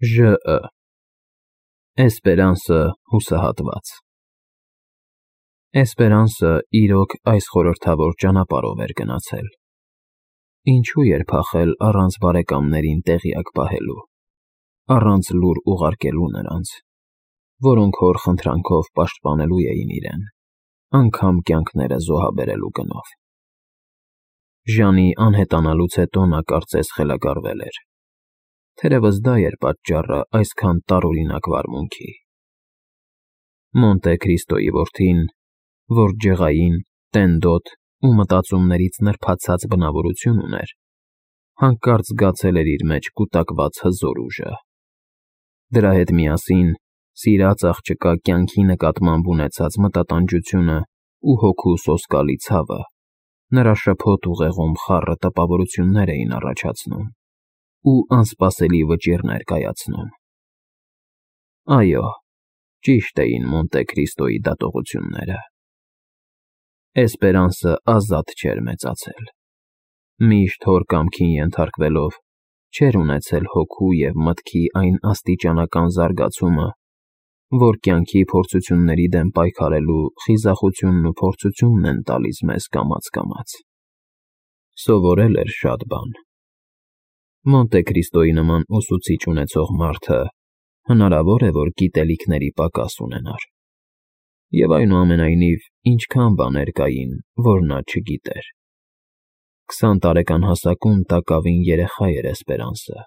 ԺԸ Էսպերանսը հուսահատված Էսպերանսը իրոք այս խորհրդավոր ճանապարհով էր գնացել. ինչու էր փախել առանց բարեկամներին տեղյակ պահելու, առանց լուր ուղարկելու նրանց, որոնք հոր խնդրանքով պաշտպանելու էին իրեն, անգամ կյանքները զոհաբերելու գնով։ Ժանի անհետանալուց հետո նա կարծես խելագարվել էր, թերևս դա էր պատճառը այսքան տարօրինակ վարմունքի։ Մոնտե Քրիստոյի որդին, որ ջղային, տենդոտ ու մտածումներից նրբացած բնավորություն ուներ, հանկարծ զգացել էր իր մեջ կուտակված հզոր ուժը։ Դրա հետ միասին սիրած աղջկա կյանքի նկատմամբ ունեցած մտատանջությունը ու հոգու սոսկալի ցավը նրա շփոթ ուղեղում խառը տպավորություններ էին առաջացնում ու անսպասելի վճիռներ կայացնում։ Այո, ճիշտ էին Մոնտե Քրիստոյի դատողությունները։ Էսպերանսը ազատ չէր մեծացել։ Միշտ հոր կամքին ենթարկվելով, չէր ունեցել հոգու և մտքի այն աստիճանական զարգացումը, որ կյանքի փորձությունների դեմ պայքարելու խիզախությունն ու փորձությունն են տալիս մեզ կամաց։ Սովորել էր շատ բան։ Մոնտե Քրիստոյի նման ուսուցիչ ունեցող մարդը հնարավոր է, որ գիտելիքների պակաս ունենար։ Եվ այնուամենայնիվ, ինչքան բաներ կային, որ նա չգիտեր։ 20 տարեկան հասակում տակավին երեխա էր Էսպերանսը։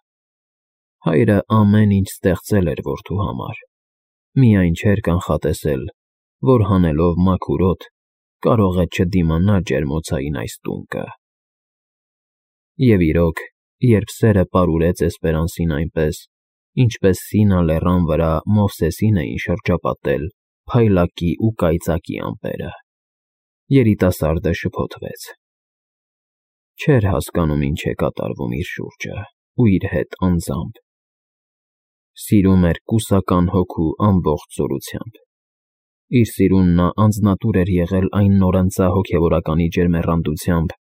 Հայրը ամեն ինչ ստեղծել էր որդու համար, միայն չէր կանխատեսել, որ հանելով մաքուր օդ, կարող է չդիմանա ջերմոցային այս տունկը։ Եվ իրոք, երբ սերը պարուրեց Էսպերանսին այնպես, ինչպես Սինա լեռան վրա Մովսեսին էին շրջապատել փայլակի ու կայծակի ամպերը, երիտասարդը շփոթվեց։ Չէր հասկանում ինչ է կատարվում իր շուրջը ու իր հետ անձամբ։ Սիրում էր կուսական հոգու ամբողջ զորությամբ։ Իր սիրուն նա անձնատուր էր եղել այն նորընծա հոգևորականի ջերմեռանդությամբ,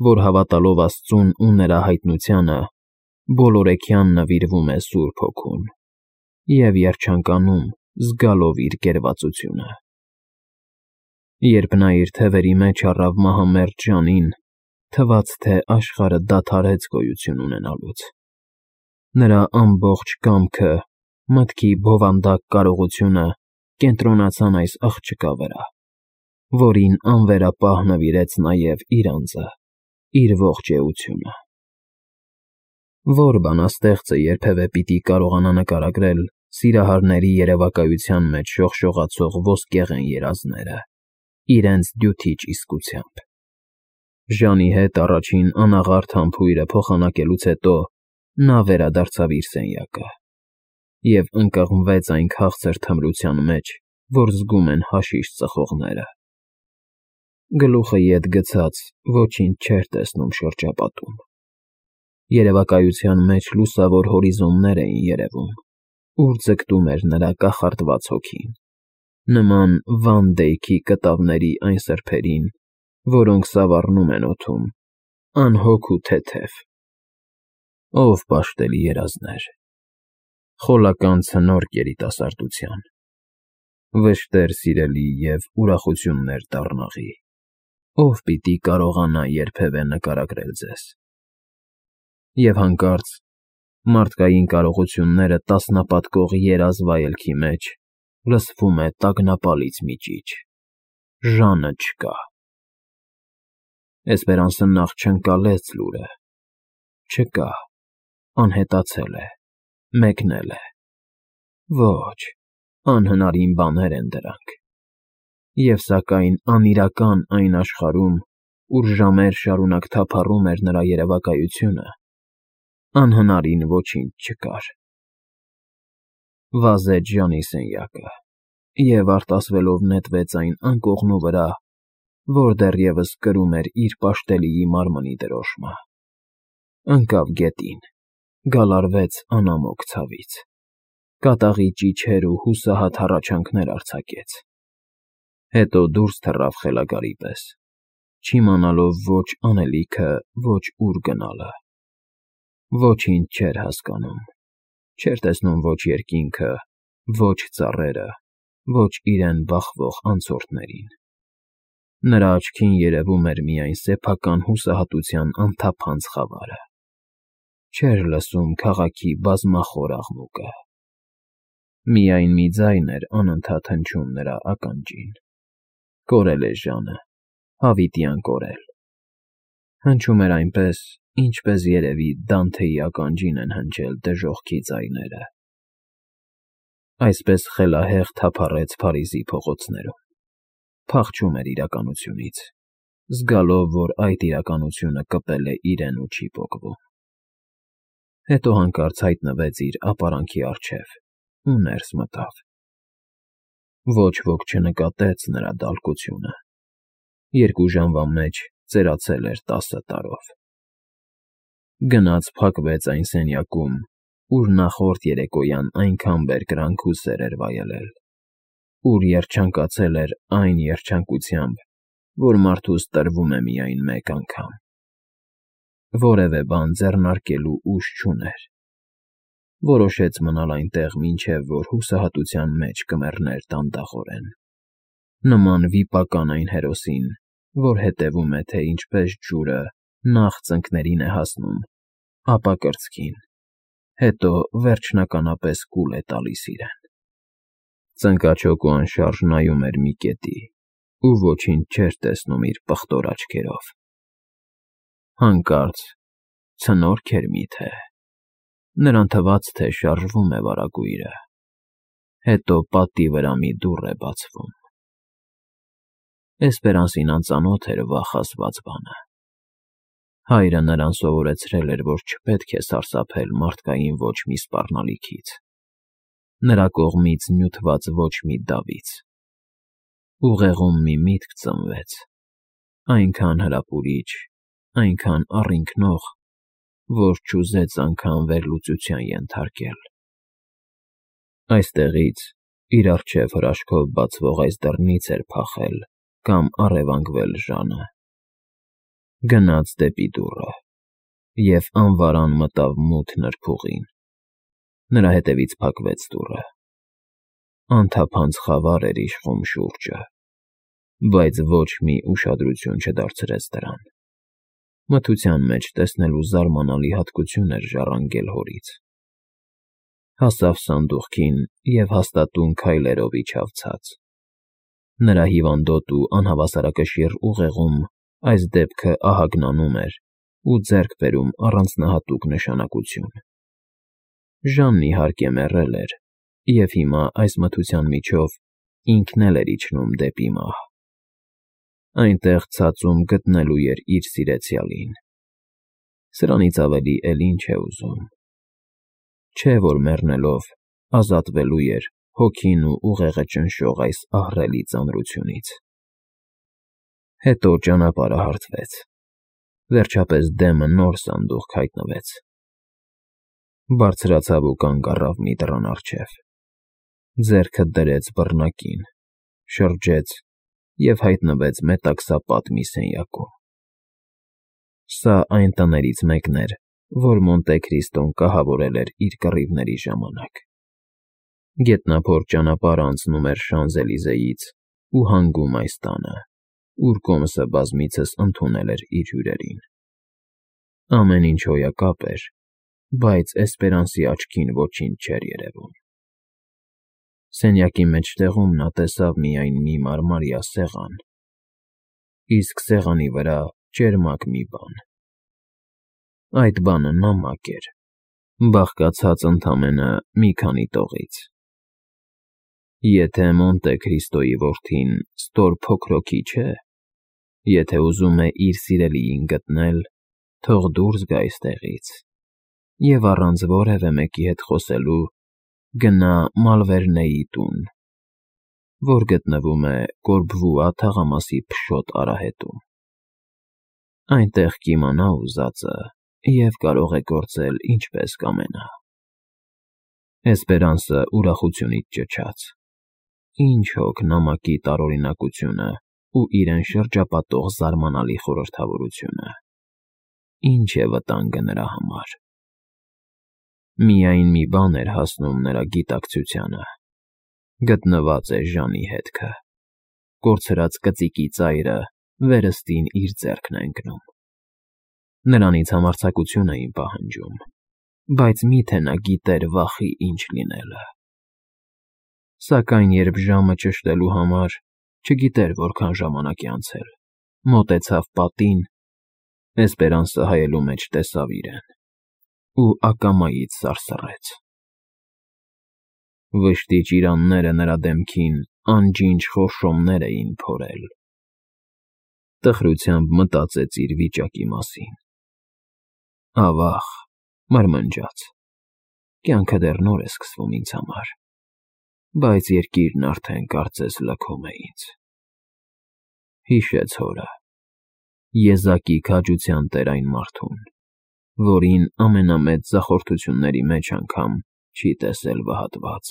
որ հավատալով Աստծուն ու նրա հայտնությանը, բոլորեքյան նվիրվում է Սուրբ Հոգուն և երջանկանում, զգալով իր կերվածությունը։ Երբ նա իր թևերի մեջ առավ մահամերձ Ժանին, թվաց, թե աշխարհը դադարեց գոյություն ունենալուց։ Նրա ամբողջ կամքը, մտքի բովանդակ կարողությունը կենտրոնացան այս աղջկա վրա, որին անվերապահ նվիրեց նաև իր անձը, իր ողջ էությունը։ Ո՞ր բանաստեղծը երբևէ պիտի կարողանա նկարագրել սիրահարների երևակայության մեջ շողշողացող ոսկեղեն երազները, իրենց դյութիչ իսկությամբ։ Ժանի հետ առաջին անաղարտ համբույրը փոխանակելուց հետո նա վերադարձավ իր սենյակը և ընկղմվեց այն քաղցր թմրության մեջ, որ զգում են հաշիշ ծխողները։ Գլուխը ետ գցած ոչինչ չէր տեսնում շրջապատում։ Երևակայության մեջ լուսավոր հորիզոններ էին երևում, ուր ձգտում էր նրա կախարդված հոգին, նման Վան Դեյքի կտավների այն սրբերին, որոնք սավառնում են օդում, անհոգ ու թեթև։ Ով պաշտելի երազներ, խոլական ցնորք երիտասարդության, վշտեր սիրելի և ուրախություններ դառնաղի, ով պիտի կարողանա երբևէ նկարագրել ձեզ։ Եվ հանկարծ, մարդկային կարողությունները տասնապատկող երազ վայելքի մեջ, լսվում է տագնապալից մի ճիչ. Ժանը չկա։ Էսպերանսը նախ չընկալեց լուրը։ Չկա, անհետացել է, մեկնել է։ Ոչ, անհնարին բաներ են դրանք։ Եվ սակայն անիրական այն աշխարհում, ուր ժամեր շարունակ թափառում էր նրա երևակայությունը, անհնարին ոչինչ չկար։ Վազեց Ժանի սենյակը և արտասվելով նետվեց այն անկողնու վրա, որ դեռևս կրում էր իր պաշտելիի մարմնի դրոշմը։ Ընկավ գետին, գալարվեց անամոք ցավից, կատաղի ճիչեր ու հուսահատ հառաչանքներ արձակեց։ Հետո դուրս թռավ խելագարի պես, չիմանալով ոչ անելիքը, ոչ ուր գնալը։ Ոչինչ չէր հասկանում, Չէր տեսնում ոչ երկինքը, ոչ ծառերը, ոչ իրեն բախվող անցորդներին։ Նրա աչքին երևում էր միայն սեփական հուսահատության անթափանց խավարը։ Չէր լսում քաղաքի բազմախոր աղմուկը։ Միայն մի ձայն էր անընդհատ հնչում նրա ականջին. կորել է Ժանը, հավիտյան կորել։ Հնչում էր այնպես, ինչպես երևի Դանթեի ականջին են հնչել դժոխքի ձայները։ Այսպես խելահեղ թափառեց Փարիզի փողոցներում, փախչում էր իրականությունից, զգալով, որ այդ իրականությունը կպել է իրեն ու չի պոկվում։ Հետո հանկարծ հայտնվեց իր ապարանքի առջև ու ներս մտավ։ Ոչ ոք չնկատեց նրա դալկությունը։ 2 ժամվա մեջ ծերացել էր 10 տարով։ Գնաց փակվեց այն սենյակում, ուր նախորդ երեկոյան այնքան բերկրանք ու սեր էր վայելել, ուր երջանկացել էր այն երջանկությամբ, որ մարդուս տրվում է միայն մեկ անգամ։ Որևէ բան ձեռնարկելու ուժ չուներ։ Որոշեց մնալ այնտեղ, մինչև որ հուսահատության մեջ կմեռներ դանդաղորեն, նման վիպական այն հերոսին, որ հետևում է, թե ինչպես ջուրը նախ ծնկներին է հասնում, ապա կրծքին, հետո վերջնականապես կուլ է տալիս իրեն։ Ծնկաչոք ու անշարժ նայում էր մի կետի ու ոչինչ չէր տեսնում իր պղտոր աչքերով։ Հանկարծ ցնորք էր միթե։ Նրան թվաց, թե շարժվում է վարագույրը։ Հետո պատի վրա մի դուռ է բացվում։ Էսպերանսին անծանոթ էր վախ ասված բանը։ Հայրը նրան սովորեցրել էր, որ չպետք է սարսափել մարդկային ոչ մի սպառնալիքից, նրա կողմից նյութված ոչ մի դավից։ Ուղեղում մի միտք ծնվեց, այնքան հրապուրիչ, այնքան առինքնող, որ չուզեց անգամ վերլուծության ենթարկել։ Այստեղից իր առջև հրաշքով բացվող այս դռնից էր փախել կամ առևանգվել Ժանը։ Գնաց դեպի դուռը և անվարան մտավ մութ նրբուղին։ Նրա հետևից փակվեց դուռը։ Անթափանց խավար էր իշխում շուրջը, բայց ոչ մի ուշադրություն չդարձրեց դրան։ Մթության մեջ տեսնելու զարմանալի հատկություն էր ժառանգել հորից։ Հասավ սանդուղքին և հաստատուն քայլերով իջավ ցած։ Նրա հիվանդոտ ու անհավասարակշիռ ուղեղում այս դեպքը ահագնանում էր ու ձեռք բերում առանձնահատուկ նշանակություն։ Ժանն իհարկե մեռել էր, և հիմա այս մթության միջով ինքն էլ էր իջնում դեպի մահ։ Այնտեղ ցածում գտնելու էր իր սիրեցյալին։ Սրանից ավելի էլ ինչ է ուզում։ Չէ՞ որ մեռնելով ազատվելու էր հոգին ու ուղեղը ճնշող այս ահռելի ծանրությունից։ Հետո ճանապարհը հարթվեց։ Վերջապես դեմը նոր սանդուղք հայտնվեց։ Բարձրացավ ու կանգ առավ մի դռան առջև։ Ձեռքը դրեց բռնակին, շրջեց և հայտնվեց մետաքսապատ մի սենյակում։ Սա այն տներից մեկն էր, որ Մոնտե Քրիստոն կահավորել էր իր կռիվների ժամանակ։ Գետնափոր ճանապարհը անցնում էր Շանզելիզեից ու հանգում այս տանը, ուր կոմսը բազմիցս ընդունել էր իր հյուրերին։ Ամեն ինչ հոյակապ էր, բայց Էսպերանսի աչքին ոչինչ չէր երևում։ Սենյակի մեջտեղում նա տեսավ միայն մի մարմարյա սեղան, իսկ սեղանի վրա ճերմակ մի բան։ Այդ բանը նամակ էր, բաղկացած ընդամենը մի քանի տողից։ Եթե Մոնտե Քրիստոյի որդին ստոր փոքրոքի չէ, եթե ուզում է իր սիրելիին գտնել, թող դուրս գա այստեղից և առանց որևէ մեկի հետ խոսելու գնա Մալվերնեի տուն, որ գտնվում է Կորբվուա թաղամասի փշոտ արահետում։ Այնտեղ կիմանա ուզածը և կարող է գործել ինչպես կամենա։ Էսպերանսը ուրախությունից ճչաց։ Ինչ հոգ նամակի տարօրինակությունը ու իրեն շրջապատող զարմանալի խորհրդավորությունը։ Ինչ է վտանգը նրա համար։ Միայն մի բան էր հասնում նրա գիտակցությանը. գտնված է Ժանի հետքը, կորցրած կծիկի ծայրը վերստին իր ձեռքն է ընկնում։ Նրանից համարձակություն էին պահանջում, բայց միթե նա գիտեր վախի ինչ լինելը։ Սակայն երբ ժամը ճշտելու համար, չգիտեր որքան ժամանակ է անցել, մոտեցավ պատին, Էսպերանսը հայելու մեջ տեսավ իրեն ու ակամայից սարսռեց։ Վշտի ճիրանները նրա դեմքին անջինջ խորշոմներ էին փորել։ Տխրությամբ մտածեց իր վիճակի մասին։ Ավաղ, մրմնջաց. կյանքը դեռ նոր է սկսվում ինձ համար, բայց երկիրն արդեն կարծես լքում է ինձ։ Հիշեց հորը, եզակի քաջության տեր այն մարդուն, որին ամենամեծ ձախորդությունների մեջ անգամ չի տեսել վհատված,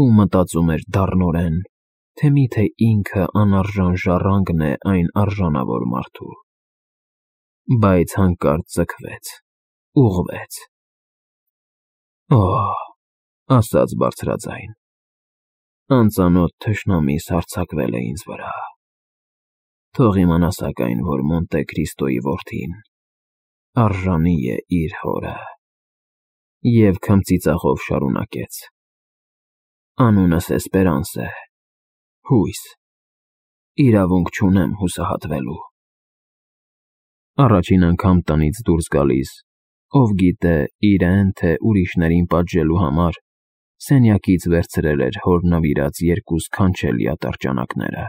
ու մտածում էր դառնորեն, թե միթե ինքը անարժան ժառանգն է այն արժանավոր մարդու, բայց հանկարծ ձգվեց, ուղղվեց։ Օհ, ասաց բարձրաձայն, անծանոթ թշնամիս հարձակվել է ինձ վրա։ Թող իմանա սակայն, որ Մոնտե Քրիստոյի որդին արժանի է իր հորը։ Եվ քմծիծաղով շարունակեց. անունս Էսպերանս է, հույս, իրավունք չունեմ հուսահատվելու։ Առաջին անգամ տնից դուրս գալիս, ով գիտե իրեն, թե ուրիշներին պատժելու համար, սենյակից վերցրել էր հոր նվիրած երկու սքանչելի ատրճանակները,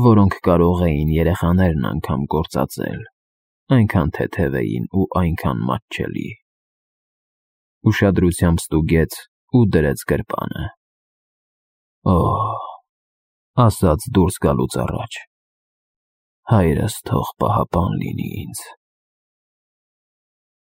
որոնք կարող էին երեխաներն անգամ գործածել, այնքան թեթև էին ու այնքան մատչելի։ Ուշադրությամբ ստուգեց ու դրեց գրպանը։ Օհ, ասաց դուրս գալուց առաջ, հայրս թող պահապան լինի ինձ։